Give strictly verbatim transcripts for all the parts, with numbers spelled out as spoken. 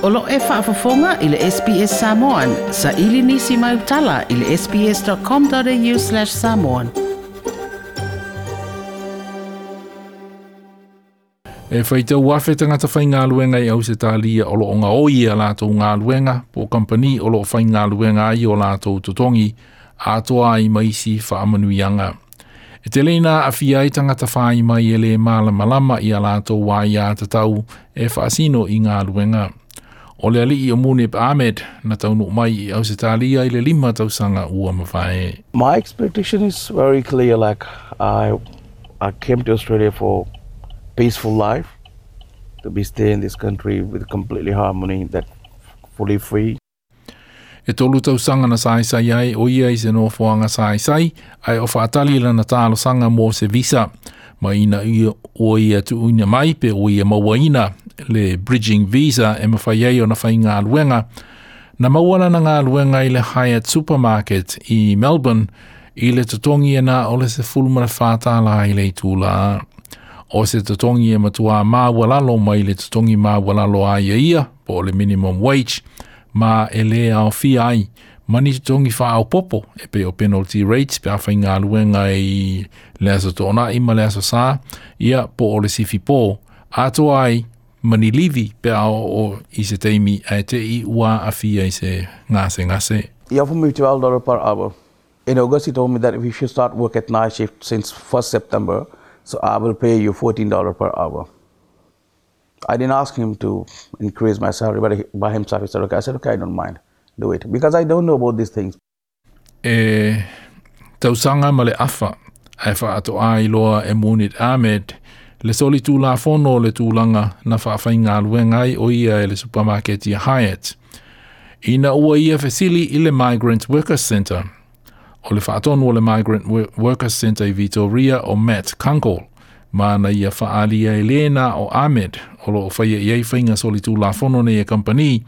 O lo e faafofoga i le S B S Samoan, sa ili nisi mai utala i le S B S dot com dot A U slash samoan. E faitau afe tagata faigaluega i Ausetalia o lo o gaoi ia latou galuega po o kampani o lo o faigaluega ai o latou totogi atoa ai ma isi faamanuiaga. E tele ina aafia ai tagata fai mai e le malamalama ia latou aia tatau e faasino i galuega. O le alii o Munib Ahmed na taunuu mai i Ausetalia i le lima tausaga ua mavae. My expectation is very clear. Like I, I came to Australia for peaceful life, to be stay in this country with completely harmony, that fully free. E tolu tausaga na saisai ai o ia i se nofoaga saisai, ae o faatali lana talosaga mo se visa. Ma ina ia ua ia tuuina mai pe ua ia mauaina le bridging visa e mafai ai ona faigaluega. Na maua lana galuega i le Hyatt Supermarket i Melbourne i le totogi e na o le sefulu ma le fa tālā i le itulā. O se totogi e matua maualalo mai le totogi maualalo a ia ia, po o le minimum wage, ma e le aofia ai ma ni totogi faaopopo e pei o penalty rates pe a faigaluega i le aso Toonai ma le aso Sa, ia po o le sifi po, atoa ai ma ni livi pe a o i se taimi ae te i ua aafia i se gasegase. He offered me twelve dollars per hour. In August, he told me that if you should start work at night shift since first September, so I will pay you fourteen dollars per hour. I didn't ask him to increase my salary, but he, by himself he said, "Okay." I said, "Okay, I don't mind. Do it." Because I don't know about these things. E tausaga ma le afa, ae faatoa iloa e Munib Ahmed le solitulafono o le tulaga na faafaigaluega ai o ia e le supermarket ia Hyatt. Ina ua ia fesili i le Migrant Workers Centre. O le faatonu o le Migrant Workers Centre i Victoria o Matt Kunkel, ma na ia faalia e lena o Ahmed o lo o faia i ai faiga solitulafono nei e kampani,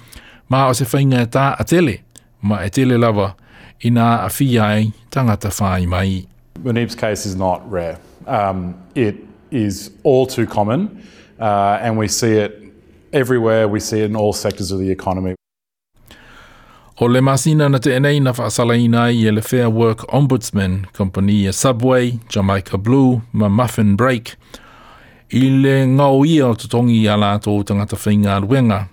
ma o se faiga e taatele, ma e tele lava ina aafia ai tagata fai mai. Munib's case is not rare. Um, it is all too common, uh, and we see it everywhere. We see it in all sectors of the economy. O le masina na tea nei na faasalaina ai e le Fair Work Ombudsman, kompani e Subway, Jamaica Blue ma Muffin Break, i le gaoia o totogi a latou tagata faigaluega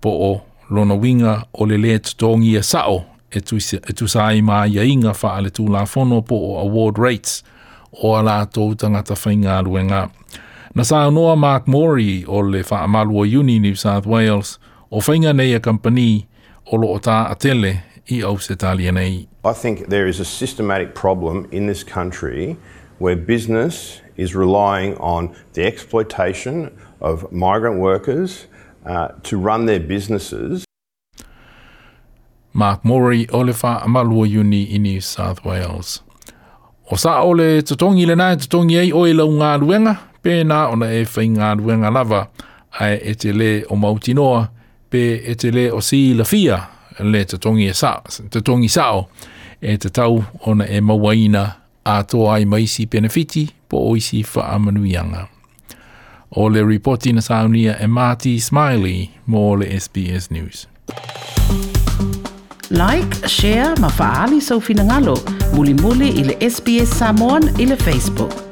po o lona uiga o le lē totogia sao e e tusa ai ma aiaiga faaletulafono po o award rates o a latou tagata faigaluega. Na saunoa Mark Morey o le faamalu o Iuni New South Wales o faiga nei a kampani o lo o taatele i Ausetalia nei. I think there is a systematic problem in this country where business is relying on the exploitation of migrant workers uh, to run their businesses. Mark Morey o le faamalu o Iuni i New South Wales. O sa o le totogi lena e totogi ai oe i lau galuega, pe na ona e faigaluega lava, ae e te lē o mautinoa, pe e te lē o silafia le totogi e sa, totogi sao, e tatau ona e mauaina atoa ai ma isi penefiti po o isi faamanuiaga. O le ripoti na saunia e Marty Smiley mo le S B S News. Like, share ma faaali sou finagalo. Mulimuli i le S B S Samoan i le Facebook.